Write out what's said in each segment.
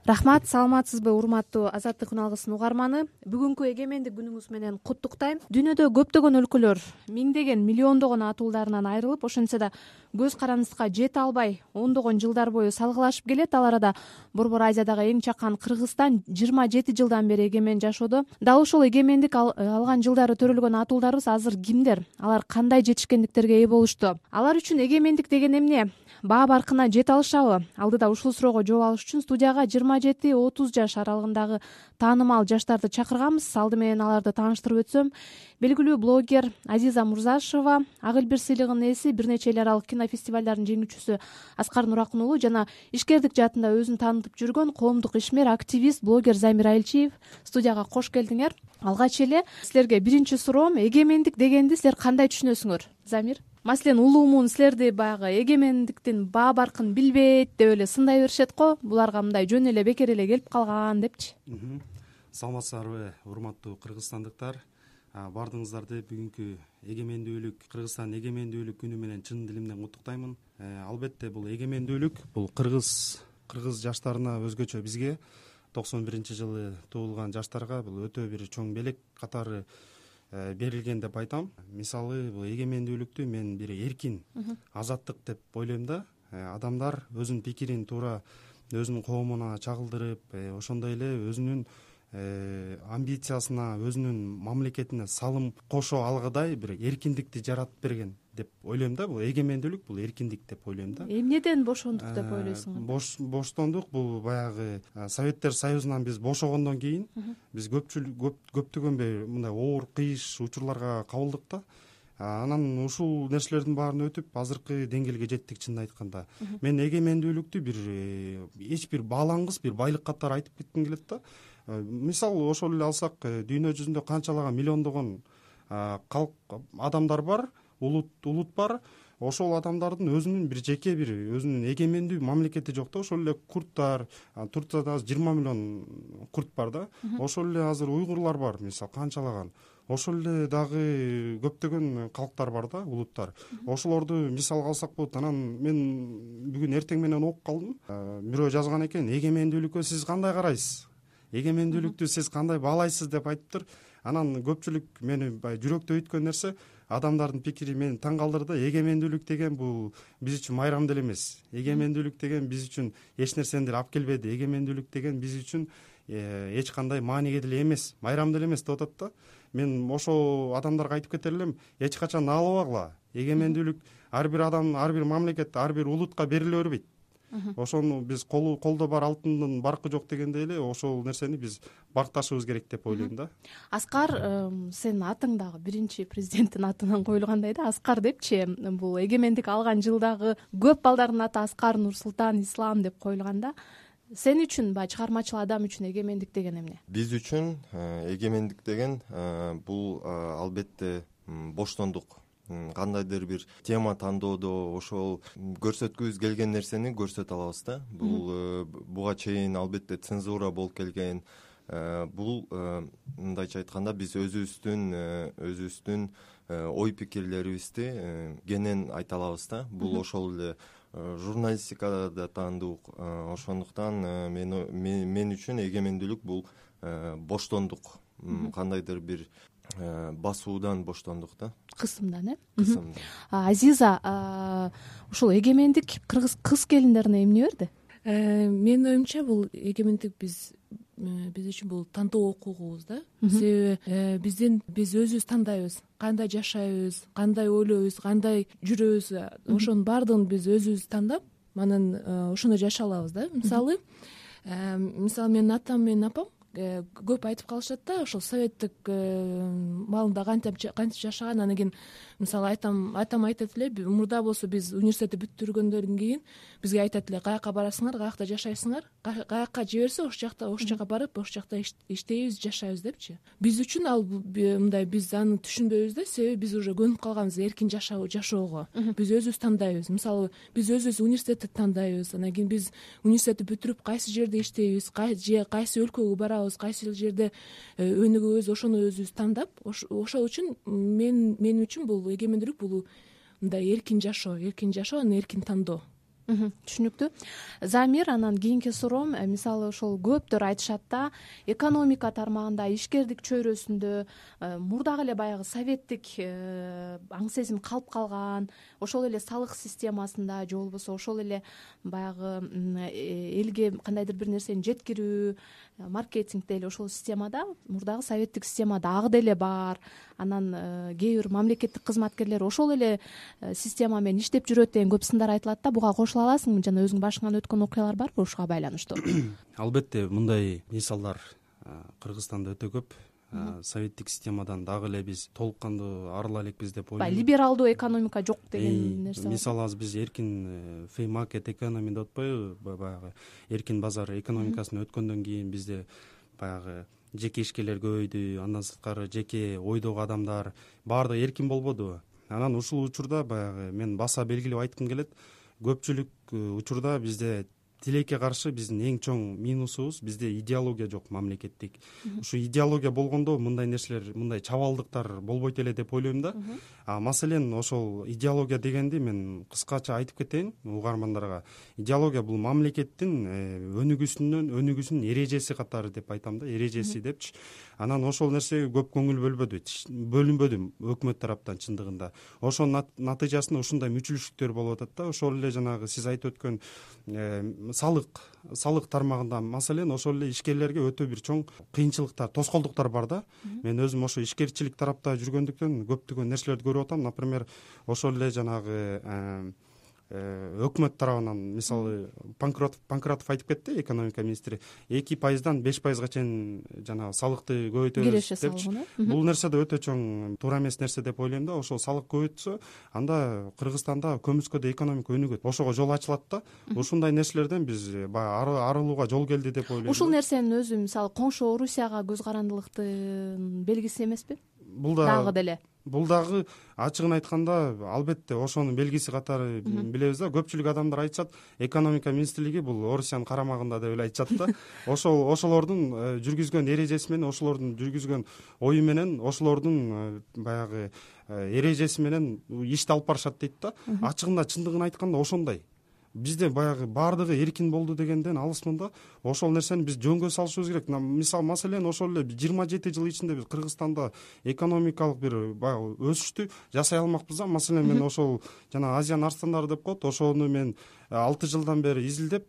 Рахмат, саламатсызбы урматтуу Азаттык күн алгысынын угарманы. Бүгүнкү эгемендик күнүңүз менен куттуктайм. Дүйнөдө көптөгөн өлкөлөр миңдеген, миллиондогон атуулдарынан айрылып, ошентсе да көз карандыска жете албай ондогон жылдар бою салгылашып келет. Ал арада Борбор Азиядагы эң чакан Кыргызстан 27 жылдан бери эгемен жашоодо. Дал ошол эгемендик алган жылдары төрөлгөн атуулдарыбыз азыр кимдер? Алар кандай жетишкендиктерге ээ болушту? Алар үчүн эгемендик деген эмне? Баа баркына жете алышабы? Алдыда ушул суроого жооп алыш үчүн студияга 27-30 жаш аралыгындагы таанымал жаштарды чакырганбыз. Алды менен аларды тааныштырып өтсөм, белгилүү блогер Азиза Мурзашева, Ак эл бир сыйлыгынын ээси, бир нече эл аралык кинофестивалдардын жеңүүчүсү Аскар Нуракун уулу жана ишкердик жаатында өзүн таанытып жүргөн коомдук ишмер, активист, блогер Замир Айылчиев студияга кош келдиңер. Алгач эле силерге биринчи суроом, эгемендик дегенди силер кандай түшүнөсүңөр? Замир, маселен, улуумун силерди баягы эгемендиктин баа баркын билбейт деп эле сындай беришет го. Буларга мындай жөн эле бекер эле келип калган депчи. Саламатсыздарбы, урматтуу кыргызстандыктар. Бардыгыңыздарды бүгүнкү эгемендүүлүк, Кыргызстан эгемендүүлүк күнү менен чын дилимден куттуктаймын. Албетте бул эгемендүүлүк, бул кыргыз жаштарына өзгөчө, бизге 91-жылы туулган жаштарга бул өтө бир чоң белек катары берилген деп айтам. Мисалы, бул эгемендүүлүктү мен бир эркин, азаттык деп ойлойм да. Адамдар өзүнүн пикирин туура өзүнүн коомуна чагылдырып, ошондой эле өзүнүн амбициясына, өзүнүн мамлекетине салым кошо алгыдай бир эркиндикти жаратып берген деп ойлойм да. Бул эгемендүүлүк, бул эркиндик деп ойлойм да. Эмнеден бошондук деп ойлойсуң? Боштондук бул баягы Советтер Союзунан биз бошогондон кийин биз көптөгөн мындай оор кыйыш учурларга кабылдык да. Анан ушул нерселердин баарын өтүп азыркы деңгээлге жеттик. Чынын айтканда, мен эгемендүүлүктү бир эч бир баалангыс, бир байлык катары айтып кетким келет да. Мисалы, ошол эле алсак, дүйнө жүзүндө канчалаган миллиондогон адамдар бар, улут бар. Ошол адамдардын өзүнүн бир жеке бир өзүнүн эгемендүү мамлекети жок да. Ошол эле курттар, Турцияда азыр 20 миллион курт бар да. Ошол эле азыр уйгурлар бар, мисалы, канчалаган. Ошол эле дагы көптөгөн калктар бар да, улуттар. Ошолорду мисалга алсак болот. Анан мен бүгүн эртең менен окуп калдым. Бирөө жазган экен: эгемендүүлүккө сиз кандай карайсыз? Эгемендүүлүктү сиз кандай баалайсыз деп айтыптыр. Анан көпчүлүк мени жүрөктө өйткөн нерсе, адамдардын пикири мени таң калтырды. Эгемендүүлүк деген бул биз үчүн майрам деле эмес. Эгемендүүлүк деген биз үчүн эч нерсени деле алып келбеди. Эгемендүүлүк деген биз үчүн эч кандай мааниге деле эмес, майрам деле эмес деп атат да. Мен ошо адамдарга айтып кетер элем: эч качан албагыла. Эгемендүүлүк ар бир адам, ар бир мамлекет, ар бир улутка бериле бербейт. Ошону биз колдо бар алтындын баркы жок дегендей эле ошол нерсени биз бакташыбыз керек деп ойлойм да. Аскар, сенин атың дагы биринчи президенттин атынан коюлгандай да, Аскар депчи. Бул эгемендик алган жылдагы көп балдардын аты Аскар, Нурсултан, Ислам деп коюлган да. Сен үчүн чыгармачыл адам үчүн эгемендик деген эмне? Биз үчүн эгемендик деген бул албетте боштондук. Кандайдыр бир тема тандоодо ошол көрсөткүбүз келген нерсени көрсөтө алабыз да. Бул буга чейин албетте цензура болуп келген. Бул мындайча айтканда биз өзүбүздүн ой пикирлерибизди кенен айта алабыз да. Бул ошол эле журналистикада да таандык. Ошондуктан мен үчүн эгемендүүлүк бул боштондук. Кандайдыр бир басуудан боштондук да. Кысымдан, Кысымдан. Азиза, ушул эгемендик кыргыз кыз келиндерине эмне берди? Менин оюмча, бул эгемендик биз үчүн бул тандоо укугубуз да. Себеби биз өзүбүз тандайбыз, кандай жашайбыз, кандай ойлойбуз, кандай жүрөбүз. Ошонун баардыгын биз өзүбүз тандап, анан ошондой жашай алабыз да. Мисалы, менин атам менен апам көп айтып калышат да, ошол советтик маалында кантип жашаган. Анан кийин мисалы атам айтат эле, мурда болсо биз университетти бүттүргөндөн кийин бизге айтат эле: каяка барасыңар, каякта жашайсыңар, каяка жиберсе ошол жака барып, ошол жакта иштейбиз, жашайбыз депчи. Биз үчүн ал мындай, биз аны түшүнбөйбүз да, себеби биз уже көнүп калганбыз эркин жашоого. Биз өзүбүз тандайбыз. Мисалы, биз өзүбүз университетти тандайбыз. Анан кийин биз университетти бүтүрүп кайсы жерде иштейбиз, кайсы өлкөгө барабыз, кайсы жерде өнүгөбүз, ошону өзүбүз тандап, ошол үчүн мен үчүн бул эгемендүүлүк, бул мындай эркин жашоо, анан эркин тандоо. Түшүнүктүү. Замир, анан кийинки суроом, мисалы ошол көптөр айтышат да, экономика тармагында, ишкердик чөйрөсүндө мурдагы эле баягы советтик аң сезим калып калган, ошол эле салык системасында же болбосо ошол эле баягы элге кандайдыр бир нерсени жеткирүү, маркетинг деле ошол системада, мурдагы советтик система дагы деле бар. Анан кээ бир мамлекеттик кызматкерлер ошол эле система менен иштеп жүрөт деген көп сындар айтылат да. Буга кошула аласыңбы? Жана өзүңүн башыңан өткөн окуялар барбы ушуга байланыштуу? Албетте мындай мисалдар Кыргызстанда өтө көп. Советтик системадан дагы эле биз толук кандуу арыла элекпиз деп ойлойм. Либералдуу экономика жок деген нерсе. Мисалы азыр биз эркин free market economy деп атпайбы, баягы эркин базар экономикасына өткөндөн кийин бизде баягы жеке ишкерлер көбөйдү, андан сырткары жеке ойдогу адамдар баардыгы эркин болбодубу. Анан ушул учурда баягы мен баса белгилеп айткым келет, көпчүлүк учурда бизде тилекке каршы биздин эң чоң минусубуз, бизде идеология жок мамлекеттик. Ушу идеология болгондо мындай нерселер, мындай чабалдыктар болбойт эле деп ойлойм да. Маселен ошол идеология дегенди мен кыскача айтып кетейин угармандарга. Идеология бул мамлекеттин өнүгүүсүнүн эрежеси катары деп айтам да, эрежеси депчи. Анан ошол нерсеге көп көңүл бөлүнбөдү өкмөт тараптан чындыгында. Ошонун натыйжасында ушундай мүчүлүштүктөр болуп атат да. Ошол эле жанагы сиз айтып өткөн салык тармагында маселен ошол эле ишкерлерге өтө бир чоң кыйынчылыктар, тоскоолдуктар бар да. Мен өзүм ошо ишкерчилик тарапта жүргөндүктөн көптөгөн нерселерди көрүп атам. Например, ошол эле жанагы өкмөт тарабынан мисалы Панкратов айтып кетти, экономика министри 2%дан 5%га чейин жанагы салыкты көбөйтөбүз депчи. Бул нерсе да өтө чоң туура эмес нерсе деп ойлойм да. Ошол салык көбөйтсө, анда Кыргызстанда көмүскөдө экономика өнүгөт, ошого жол ачылат да. Ушундай нерселерден биз баягы арылууга жол келди деп ойлойм. Ушул нерсенин өзү мисалы коңшу Орусияга көз карандылыктын белгиси эмеспи? Бул дагы ачыгын айтканда албетте ошонун белгиси катары билебиз да. Көпчүлүк адамдар айтышат, экономика министрлиги бул Орусиянын карамагында деп эле айтышат да. Ошолордун жүргүзгөн эрежеси менен, ошолордун жүргүзгөн ою менен, ошолордун баягы эрежеси менен ишти алып барышат дейт да. Ачыгында чындыгын айтканда ошондой. Бизде баягы баардыгы эркин болду дегенден алысмын да. Ошол нерсени биз жөнгө салышыбыз керек. Мисалы маселен ошол эле 27 жыл ичинде биз Кыргызстанда экономикалык бир баягы өсүштү жасай алмакпыз да. Маселен мен ошол жана Азиянын арстандары деп коет, ошону мен 6 жылдан бери изилдеп,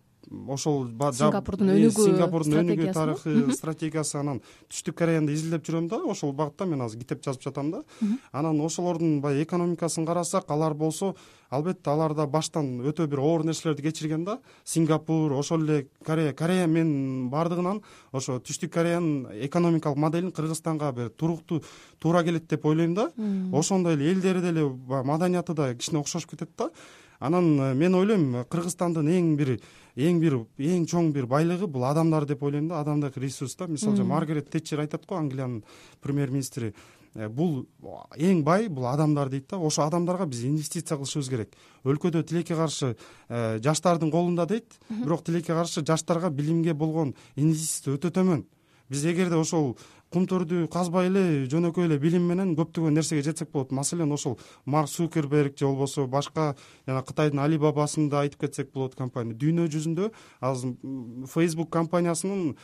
ошол Сингапурдун өнүгүү тарыхы, стратегиясы, анан Түштүк Кореяны изилдеп жүрөм да. Ошол багытта мен азыр китеп жазып жатам да. Анан ошолордун баягы экономикасын карасак, алар болсо албетте алар да баштан өтө бир оор нерселерди кечирген да. Сингапур, ошол эле Корея мен баардыгынан ошо Түштүк Кореянын экономикалык моделин Кыргызстанга бир туруктуу туура келет деп ойлойм да. Ошондой эле элдери деле маданияты да кичине окшошуп кетет да. Анан мен ойлойм Кыргызстандын эң чоң бир байлыгы бул адамдар деп ойлойм да, адамдык ресурс да. Мисалы Маргарет Тэтчер айтат го, Англиянын премьер-министри, бул эң бай бул адамдар дейт да. Ошо адамдарга биз инвестиция кылышыбыз керек. Өлкөдө тилекке каршы жаштардын колунда дейт, бирок тилекке каршы жаштарга билимге болгон инвестиция өтө төмөн. Биз эгерде ошол кумтөрдү казбай эле жөнөкөй эле билим менен көптөгөн нерсеге жетсек болот. Маселен ошол Марк Цукерберг же болбосо башка жана Кытайдын Alibaba'сын да айтып кетсек болот. Компания дүйнө жүзүндө азыр Facebook компаниясынын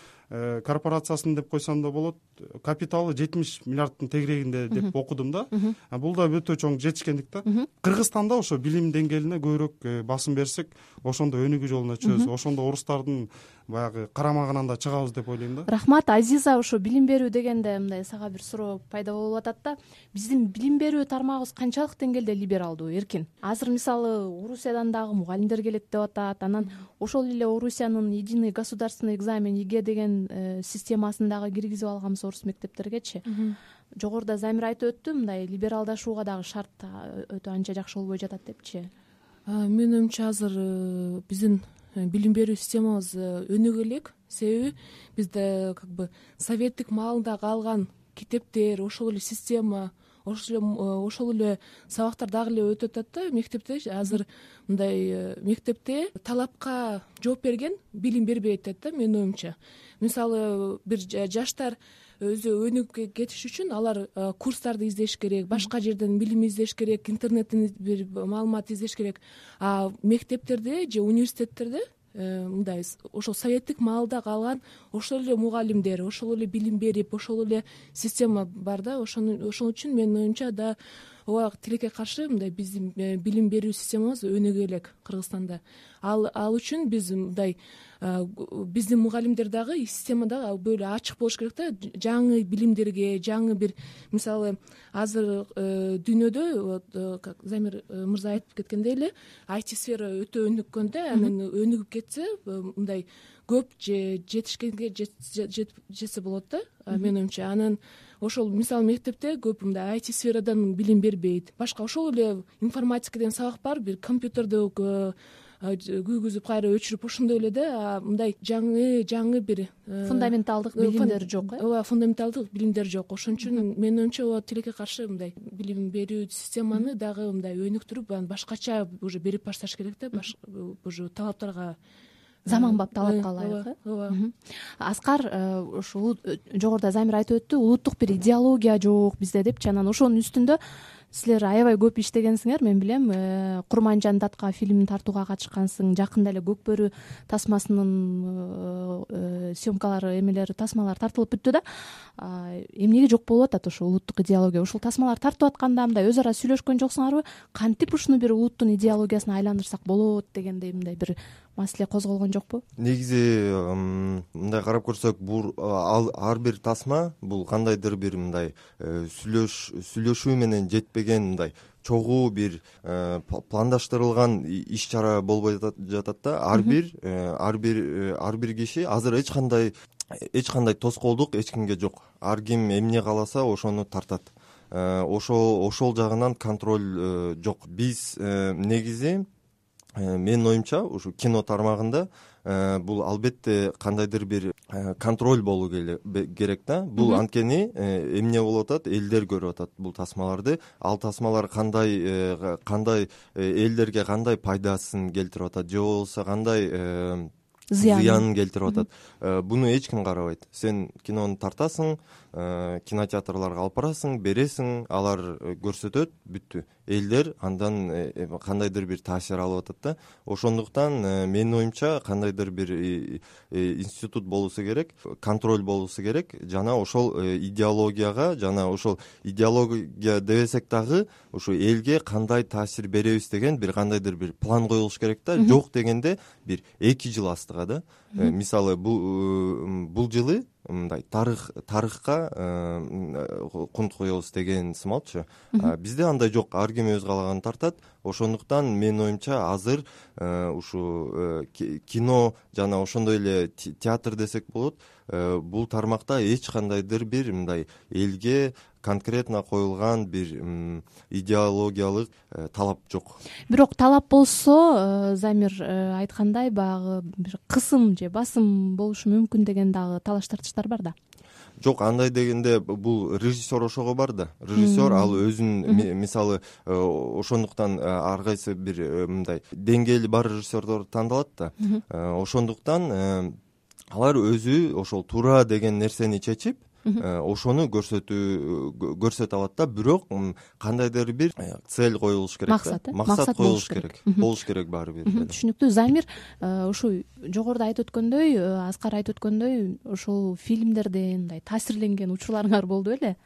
корпорациясын деп койсом да болот, капиталы 70 миллиардтын тегерегинде деп окудум да. Бул да өтө чоң жетишкендик да. Кыргызстанда ошо билим деңгээлине көбүрөөк басым берсек, ошондо өнүгүү жолуна чыгабыз, ошондо орустардын баягы карамагынан да чыгабыз деп ойлойм да. Рахмат, Азиза. Ошо билим берүү дегенде мындай сага бир суроо пайда болуп атат да. Биздин билим берүү тармагыбыз канчалык деңгээлде либералдуу, эркин? Азыр мисалы Орусиядан дагы мугалимдер келет деп атат. Анан ошол эле Орусиянын единый государственный экзамен ЕГЭ деген системасын дагы киргизип алганбыз орус мектептергечи. Жогоруда Замир айтып өттү, мындай либералдашууга дагы шарт өтө анча жакшы болбой жатат депчи. Менин оюмча азыр биздин билим берүү системабыз өнүгө элек. Себеби бизде советтик маалында калган китептер, ошол эле система, ошол эле сабактар дагы эле өтүп атат да мектепте. Азыр мындай мектепте талапка жооп берген билим бербей атат да менин оюмча. Мисалы бир жаштар өзү өнүгүп кетиш үчүн алар курстарды издеш керек, башка жерден билим издеш керек, интернеттен бир маалымат издеш керек. А мектептерде же университеттерде мындай ошол советтик маалда калган ошол эле мугалимдер, ошол эле билим берип, ошол эле система бар да. Ошол үчүн менин оюмча да ооба тилекке каршы мындай биздин билим берүү системабыз өнүгө элек Кыргызстанда. Ал үчүн биз мындай биздин мугалимдер дагы система дагы böyle ачык болуш керек да. Жаңы билимдерге, жаңы бир мисалы азыр дүйнөдө как Замир мырза айтып кеткендей эле IT сфера өтө өнүккөн да. Анан өнүгүп кетсе мындай көп жетишкенге жетсе болот да менин оюмча. Анан ошол мисалы мектепте көп мындай IT сферадан билим бербейт. Башка ошол эле информатика деген сабак бар, бир компьютерди күйгүзүп кайра өчүрүп ошондой эле да. Мындай жаңы бир фундаменталдык билимдер жок. Ооба, фундаменталдык билимдер жок. Ошон үчүн менин оюмча ооба тилекке каршы мындай билим берүү системаны дагы мындай өнүктүрүп, анан башкача уже берип башташ керек да. Уже талаптарга Заманбап талапка ылайык. Ооба. Аскар ушул жогоруда Замир айтып өттү, улуттук бир идеология жок бизде депчи. Анан ошонун үстүндө силер аябай көп иштегенсиңер. Мен билем, Курманжан датка фильмин тартууга катышкансың. Жакында эле Көк бөрү тасмасынын съемкалары, тасмалары тартылып бүттү да. Эмнеге жок болуп атат ошо улуттук идеология? Ушул тасмалар тартып атканда мындай өз ара сүйлөшкөн жоксуңарбы? Кантип ушуну бир улуттун идеологиясына айландырсак болот дегендей мындай бир маселе козголгон жокпу? Негизи мындай карап көрсөк, бул ар бир тасма бул кандайдыр бир мындай сүйлөшүү менен жетпеген мындай чогуу бир пландаштырылган иш чара болбой жатат да. Ар бир киши азыр эч кандай тоскоолдук эч кимге жок. Ар ким эмне кааласа ошону тартат. Ошол жагынан контроль жок. Биз негизи менин оюмча ушу кино тармагында бул албетте кандайдыр бир контроль болуу керек да. Бул анткени эмне болуп атат, элдер көрүп атат бул тасмаларды. Ал тасмалар кандай элдерге кандай пайдасын келтирип атат, же болбосо кандай зыянын келтирип атат. Буну эч ким карабайт. Сен кинону тартасың, кинотеатрларга алып барасың, бересиң, алар көрсөтөт, бүттү. Элдер андан кандайдыр бир таасир алып атат да. Ошондуктан менин оюмча кандайдыр бир институт болуусу керек, контроль болуусу керек. Жана ошол идеологияга, дебесек дагы ушу элге кандай таасир беребиз деген бир кандайдыр бир план коюлуш керек да. Жок дегенде бир 2 жыл астыга да. Мисалы бул жылы мындай тарыхка кунт коебуз деген сымалчы. Бизде андай жок, ар ким өз каалаганын тартат. Ошондуктан менин оюмча азыр ушу кино жана ошондой эле театр десек болот, бул тармакта эч кандайдыр бир мындай элге конкретно коюлган бир идеологиялык талап жок. Бирок талап болсо, Замир айткандай, баягы бир кысым же басым болушу мүмкүн деген дагы талаш тартыштар бар да. Жок, андай дегенде бул режиссер ошого бар да. Режиссер ал өзүн мисалы ошондуктан ар кайсы бир мындай деңгээли бар режиссерлор тандалат да. Ошондуктан алар өзү ошол туура деген нерсени чечип ошону көрсөтө алат да. Бирок кандайдыр бир цель коюлуш керек, максат коюлуш керек, болуш керек баары бир. Түшүнүктүү. Замир ушу жогоруда айтып өткөндөй, Аскар айтып өткөндөй, ошол фильмдерден мындай таасирленген учурларыңар болду беле?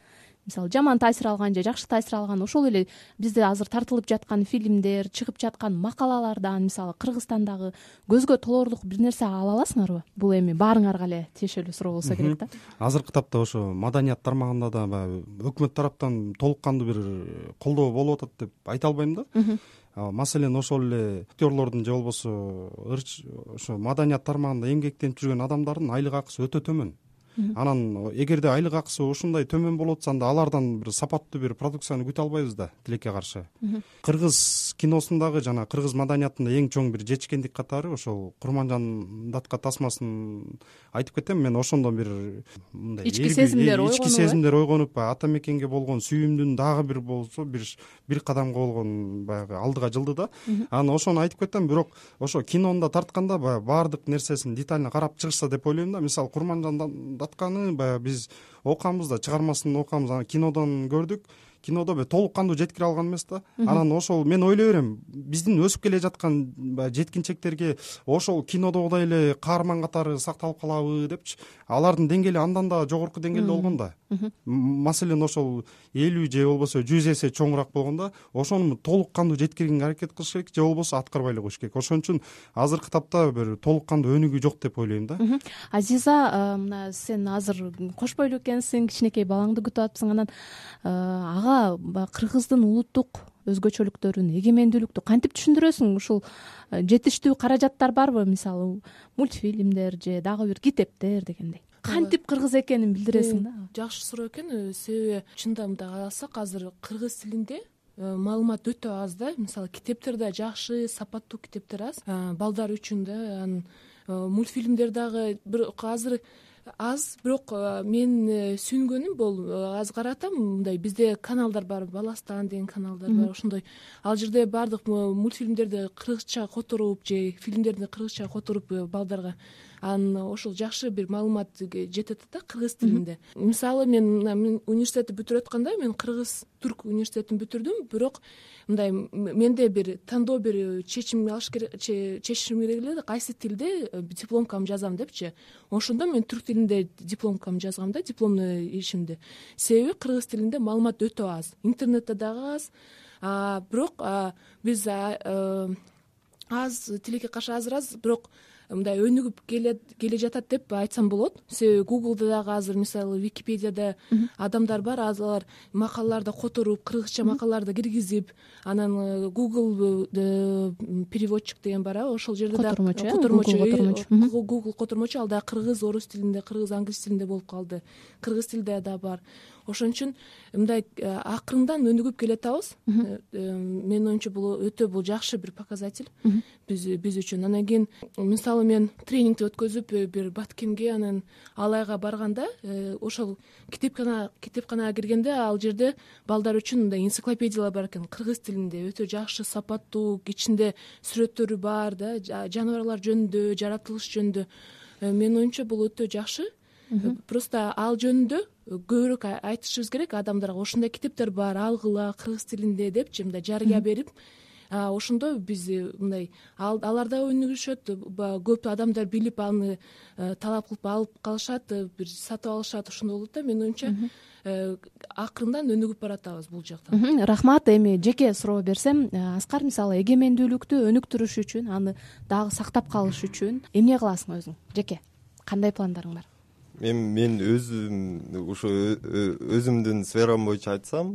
Мисалы жаман таасир алган же жакшы таасир алган, ошол эле бизде азыр тартылып жаткан фильмдер, чыгып жаткан макалалардан, мисалы Кыргызстандагы көзгө толоорлук бир нерсе ала аласыңарбы? Бул эми баарыңарга эле тиешелүү суроо болсо керек да. Азыркы тапта ошо маданият тармагында да баягы өкмөт тараптан толук кандуу бир колдоо болуп атат деп айта албайм да. Маселен ошол эле актерлордун же болбосо ошо маданият тармагында эмгектенип жүргөн адамдардын айлык акысы өтө төмөн. анан эгерде айлык акысы ушундай төмөн болуп атса анда алардан бир сапаттуу бир продукцияны күтө албайбыз да тилекке каршы. Кыргыз киносундагы жана кыргыз маданиятында эң чоң бир жетишкендик катары ошол Курманжан датка тасмасын айтып кетем мен. Ошондон бир мындай ички сезимдер ойгонуп ата мекенге болгон сүйүүмдүн дагы бир болсо бир кадамга болгон баягы алдыга жылды да. Анан ошону айтып кетем. Бирок ошо кинону тартканда баягы баардык нерсесин детально карап чыгышса деп ойлойм да. Мисалы Курманжан датканы баягы биз окуганбыз да, чыгармасын окуганбыз, анан кинодон көрдүк. Кинодо толук кандуу жеткире алган эмес да. Анан ошол мен ойлой берем, биздин өсүп келе жаткан жеткинчектерге ошол кинодогудай эле каарман катары сакталып калабы депчи. Алардын деңгээли андан да жогорку деңгээлде болгон да. Маселен ошол 50 же болбосо 100 эсе чоңураак болгон да. Ошону толук кандуу жеткиргенге аракет кылыш керек, же болбосо аткарбай эле коюш керек. Ошон үчүн азыркы тапта бир толук кандуу өнүгүү жок деп ойлойм да. Азиза, мына сен азыр кош бойлуу экенсиң, кичинекей балаңды күтүп атыпсың. Анан ага кыргыздын улуттук өзгөчөлүктөрүн, эгемендүүлүктү кантип түшүндүрөсүң? Ушул жетиштүү каражаттар барбы? Мисалы мультфильмдер же дагы бир китептер дегендей. Кантип кыргыз экенин билдиресиң да. Жакшы суроо экен. Себеби чындап мындай карасак азыр кыргыз тилинде маалымат өтө аз да. Мисалы китептер да жакшы, сапаттуу китептер аз балдар үчүн да. Мультфильмдер дагы азыр аз, бирок мен сүйүнгөнүм бул аз каратам. Мындай бизде каналдар бар, Баластан деген каналдар бар. Ошондой ал жерде баардык мультфильмдерди кыргызча которуп же фильмдерди кыргызча которуп балдарга, анан ошол жакшы бир маалымат жетет да кыргыз тилинде. Мисалы мен университетти бүтүрүп атканда мен кыргыз түрк университетин бүтүрдүм, бирок мындай менде бир тандоо бир чечим керек эле, кайсы тилде дипломкамды жазам депчи. Ошондо мен түрк тилинде дипломкамды жазгам да, дипломный ишимди. Себеби кыргыз тилинде маалымат өтө аз, интернетте дагы аз. Бирок биз аз тилекке каршы аз, бирок мындай өнүгүп келе жатат деп айтсам болот. Себеби Google'да дагы азыр мисалы Википедияда адамдар бар, алар макалаларды которуп, кыргызча макалаларды киргизип, анан Google переводчик деген бар, ошол жерде да Google котормочу, ал да кыргыз, орус тилинде, кыргыз, англис тилинде болуп калды. Кыргыз тилде да бар. Ошон үчүн мындай акырындан өнүгүп келатабыз. Менин оюмча бул жакшы бир показатель биз үчүн. Анан кийин мисалы мен тренингди өткөзүп бир Баткенге, анан Алайга барганда ошол китепканага киргенде ал жерде балдар үчүн мындай энциклопедиялар бар экен кыргыз тилинде, өтө жакшы, сапаттуу, ичинде сүрөттөрү бар да, жаныбарлар жөнүндө, жаратылыш жөнүндө. Менин оюмча бул өтө жакшы. Просто ал жөнүндө көбүрөөк айтышыбыз керек адамдарга. Ошондой китептер бар, алгыла кыргыз тилинде депчи, мындай жарыя берип, ошондо биз мындай алар да өнүгүшөт, көп адамдар билип аны талап кылып алып калышат, бир сатып алышат. Ошондой болот да. Менин оюмча акырындан өнүгүп баратабыз бул жактан. Рахмат. Эми жеке суроо берсем, Аскар, мисалы эгемендүүлүктү өнүктүрүш үчүн, аны дагы сактап калыш үчүн эмне кыласың өзүң? Жеке кандай пландарың бар? Мен өзүм ушу өзүмдүн сферам боюнча айтсам,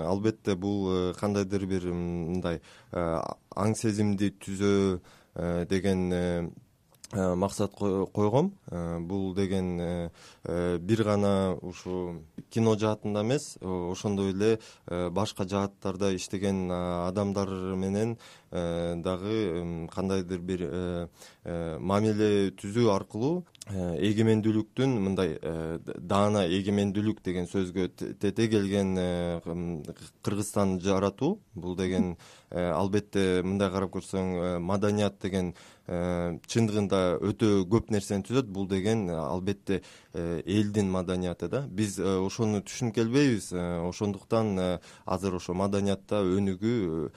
албетте бул кандайдыр бир мындай аң сезимди түзөө деген максат койгом. Бул деген бир гана ушу кино жаатында эмес, ошондой эле башка жааттарда иштеген адамдар менен дагы кандайдыр бир мамиле түзүү аркылуу эгемендүүлүктүн мындай даана эгемендүүлүк деген сөзгө тете келген Кыргызстан жаратуу. Бул деген албетте мындай карап көрсөң маданият деген чындыгында өтө көп нерсени түзөт. Бул деген албетте элдин маданияты да. Биз ошону түшүнүп келбейбиз. Ошондуктан азыр ошо маданиятта өнүгүү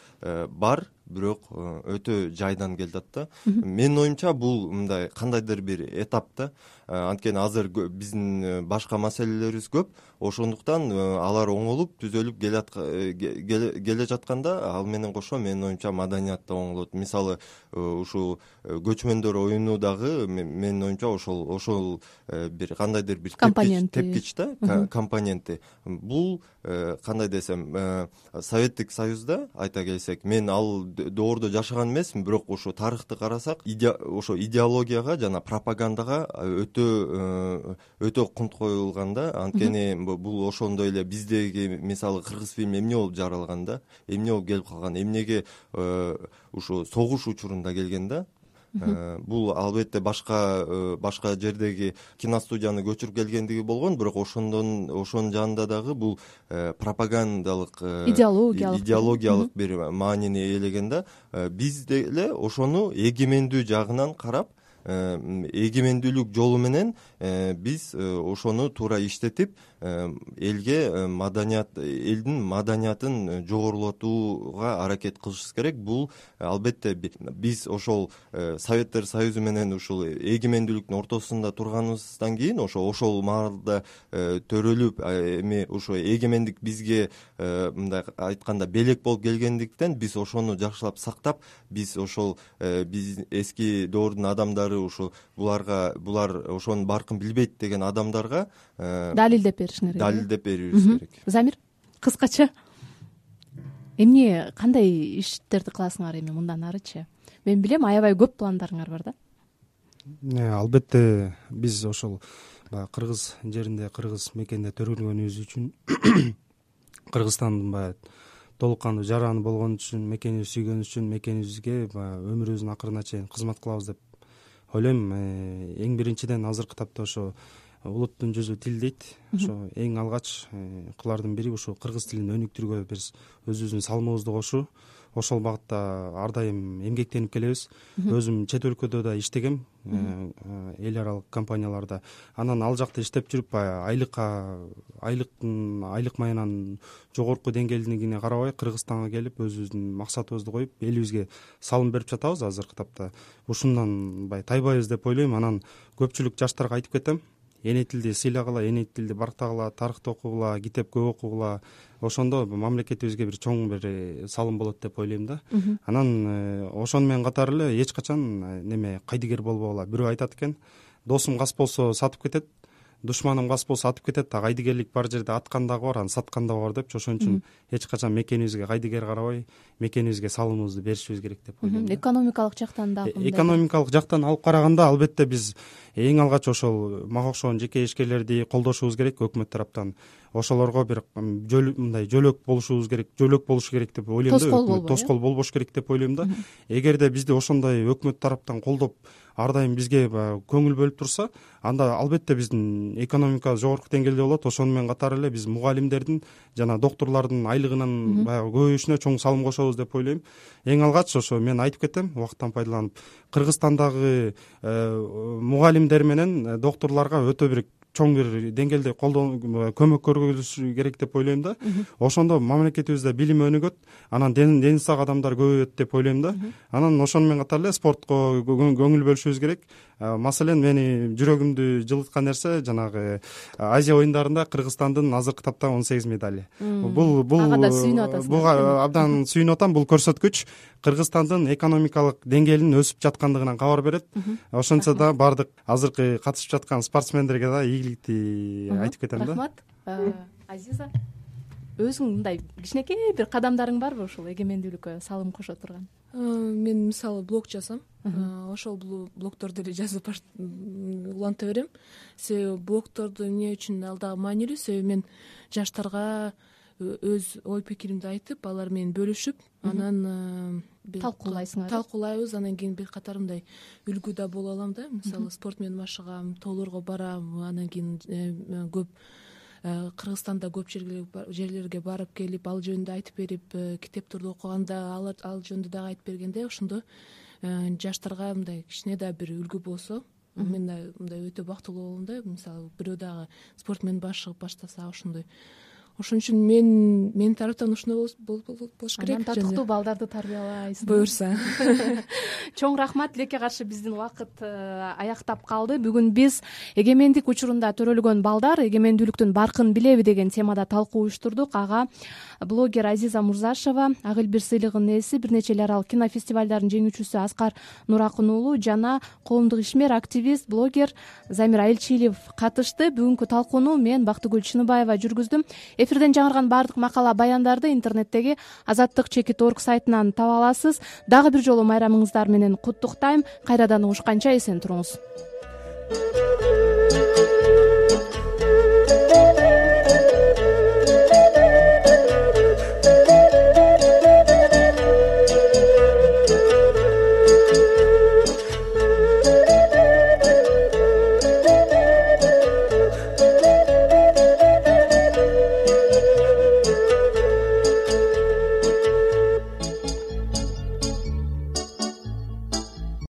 бар, бирок өтө жайдан келатат да. Менин оюмча бул мындай кандайдыр бир этап да. Анткени азыр биздин башка маселелерибиз көп. Ошондуктан алар оңолуп, түзөлүп келе жатканда ал менен кошо менин оюмча маданият да оңолот. Мисалы ушул көчмөндөр оюну дагы менин оюмча ошол бир кандайдыр бир тепкич да, компоненти. Бул кандай десем, Советтик Союзда айта келсек, мен ал доордо жашаган эмесмин, бирок ошо тарыхты карасак ошо идеологияга жана пропагандага өтө кунт коюлган да. Анткени бул ошондой эле биздеги мисалы кыргыз фильми эмне болуп жаралган да, эмне болуп келип калган, эмнеге ушу согуш учурунда келген да. Бул албетте башка жердеги киностудияны көчүрүп келгендиги болгон, бирок ошонун жанында дагы бул пропагандалык идеологиялык бир маанини ээлеген да. Биз деле ошону эгемендүү жагынан карап, эгемендүүлүк жолу менен биз ошону туура иштетип, элге элдин маданиятын жогорулатууга аракет кылышыбыз керек. Бул албетте биз ошол Советтер Союзу менен ушул эгемендүүлүктүн ортосунда турганыбыздан кийин ошол маалда төрөлүп, эми ошо эгемендик бизге мындай айтканда белек болуп келгендиктен биз ошону жакшылап сактап, биз ошол биз эски доордун адамдары булар ошонун баркын билбейт деген адамдарга далилдеп беришиңер керек. Далилдеп беришибиз керек. Замир, кыскача эмне, кандай иштерди кыласыңар эми мындан арычы? Мен билем, аябай көп пландарыңар бар да. Албетте биз ошол кыргыз жеринде, кыргыз мекенде төрөлгөнүбүз үчүн, Кыргызстандын баягы толук кандуу жараны болгон үчүн, мекенибизди сүйгөнүбүз үчүн мекенибизге өмүрүбүздүн акырына чейин кызмат кылабыз деп ойлойм. Эң биринчиден азыркы тапта ошо улуттун жүзү тил дейт. Ошо эң алгач кылардын бири ушул кыргыз тилин өнүктүрүүгө биз өзүбүздүн салымыбызды кошуу. Ошол багытта ар дайым эмгектенип келебиз. Өзүм чет өлкөдө да иштегем, эл аралык компанияларда. Анан ал жакта иштеп жүрүп айлык маянанын жогорку деңгээлдигине карабай Кыргызстанга келип өзүбүздүн максатыбызды коюп, элибизге салым берип жатабыз азыркы тапта. Ушундан тайбайбыз деп ойлойм. Анан көпчүлүк жаштарга айтып кетем, эне тилди сыйлагыла, эне тилди барктагыла, тарыхты окугула, китеп көп окугула. Ошондо мамлекетибизге бир чоң бир салым болот деп ойлойм да. Анан ошону менен катар эле эч качан кайдыгер болбогула. Бирөө айтат экен, досум кас болсо сатып кетет, душманым кас болсо атып кетет, а кайдыгерлик бар жерде аткан дагы бар, аны саткан дагы бар депчи. Ошон үчүн эч качан мекенибизге кайдыгер карабай, мекенибизге салымыбызды беришибиз керек деп ойлойм. Экономикалык жактан дагы экономикалык жактан алып караганда албетте биз эң алгач ошол мага окшогон жеке ишкерлерди колдошубуз керек өкмөт тараптан. Ошолорго бир мындай жөлөк болушу керек деп ойлойм да. Тоскоол болбош керек деп ойлойм да. Эгерде бизди ошондой өкмөт тараптан колдоп, ар дайым бизге көңүл бөлүп турса, анда албетте биздин экономика жогорку деңгээлде болот. Ошону менен катар эле биз мугалимдердин жана доктурлардын айлыгынын көбөйүшүнө чоң салым кошобуз деп ойлойм. Эң алгач ошо мен айтып кетем, убакыттан пайдаланып, Кыргызстандагы мугалимдер менен доктурларга өтө бир чоң бир деңгээлде көмөк көрсөтүш керек деп ойлойм да. Ошондо мамлекетибизде билим өнүгөт, анан дени сак адамдар көбөйөт деп ойлойм да. Анан ошону менен катар эле спортко көңүл бөлүшүбүз керек. Маселен, мени жүрөгүмдү жылыткан нерсе жанагы Азия оюндарында Кыргызстандын азыркы тапта 18 медали. Буга абдан сүйүнүп атам. Бул көрсөткүч Кыргызстандын экономикалык деңгээлинин өсүп жаткандыгынан кабар берет. Ошончо да бардык азыркы катышып жаткан спортсмендерге да ийгиликти айтып кетем да. Рахмат. Азиза, өзүң мындай кичинекей бир кадамдарың барбы ушул эгемендүүлүккө салым кошо турган? Мен мисалы блог жазам. Ошол блогторду эле жазып уланта берем. Себеби блогторду эмне үчүн ал дагы маанилүү? Себеби мен жаштарга өз ой пикиримди айтып, алар менен бөлүшүп, анан талкуулайбыз. Анан кийин бир катар мындай үлгү да боло алам да. Мисалы спорт менен машыгам, тоолорго барам, анан кийин көп Кыргызстанда көп жерлерге барып келип, ал жөнүндө айтып берип, китептерди окуганда ал жөнүндө дагы айтып бергенде, ошондо жаштарга мындай кичине да бир үлгү болсо, мен да мындай өтө бактылуу болом да. Мисалы бирөө дагы спорт менен баштаса ошондой. Ошон үчүн менин тараптан ушуну болуш керек. Анан татыктуу балдарды тарбиялайсыз. Буюрса. Чоң рахмат. Тилекке каршы биздин убакыт аяктап калды. Бүгүн биз эгемендик учурунда төрөлгөн балдар эгемендүүлүктүн баркын билеби деген темада талкуу уюштурдук. Ага блогер Азиза Мурзашева, Ак Элбир сыйлыгынын ээси, бир нече эл аралык кинофестивалдардын жеңүүчүсү Аскар Нуракын уулу жана коомдук ишмер, активист, блогер Замир Айылчиев катышты. Бүгүнкү талкууну мен Бактыгүл Чыныбаева жүргүздүм. эфирден жаңырган баардык макала баяндарды интернеттеги azattik.org сайтынан таба аласыз. Дагы бир жолу майрамыңыздар менен куттуктайм. Кайрадан угушканча эсен туруңуз.